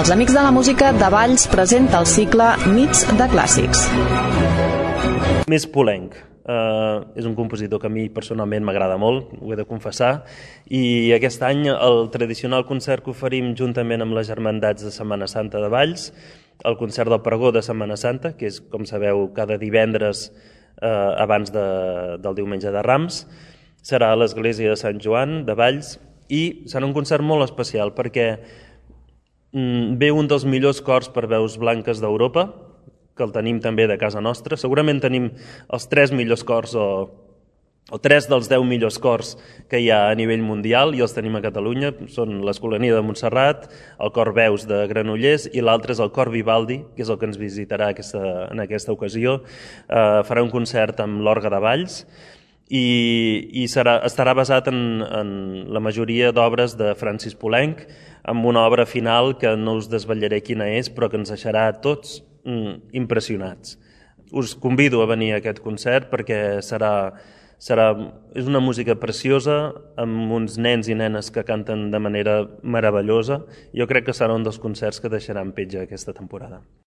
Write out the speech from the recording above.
Els Amics de la Música de Valls presenta el cicle Nits de Clàssics. Més Poulenc. És un compositor que a mi personalment m'agrada molt, ho he de confessar, i aquest any el tradicional concert que oferim juntament amb les Germandats de Setmana Santa de Valls, el concert del pregó de Setmana Santa, que és, com sabeu, cada divendres abans del diumenge de Rams, serà a l'església de Sant Joan de Valls, i serà un concert molt especial perquè ve un dels millors cors per veus blanques d'Europa, que el tenim també de casa nostra. Segurament tenim els 3 millors cors o 3 dels 10 millors cors que hi ha a nivell mundial i els tenim a Catalunya. Són l'Escolania de Montserrat, el cor Veus de Granollers i l'altre és el cor Vivaldi, que és el que ens visitarà en aquesta ocasió. Farà un concert amb l'Orgue de Valls i estarà basat en la majoria d'obres de Francis Poulenc, amb una obra final que no us desvetllaré quina és, però que ens deixarà a tots impressionats. Us convido a venir a aquest concert perquè és una música preciosa amb uns nens i nenes que canten de manera meravellosa. Jo crec que serà un dels concerts que deixaran petja aquesta temporada.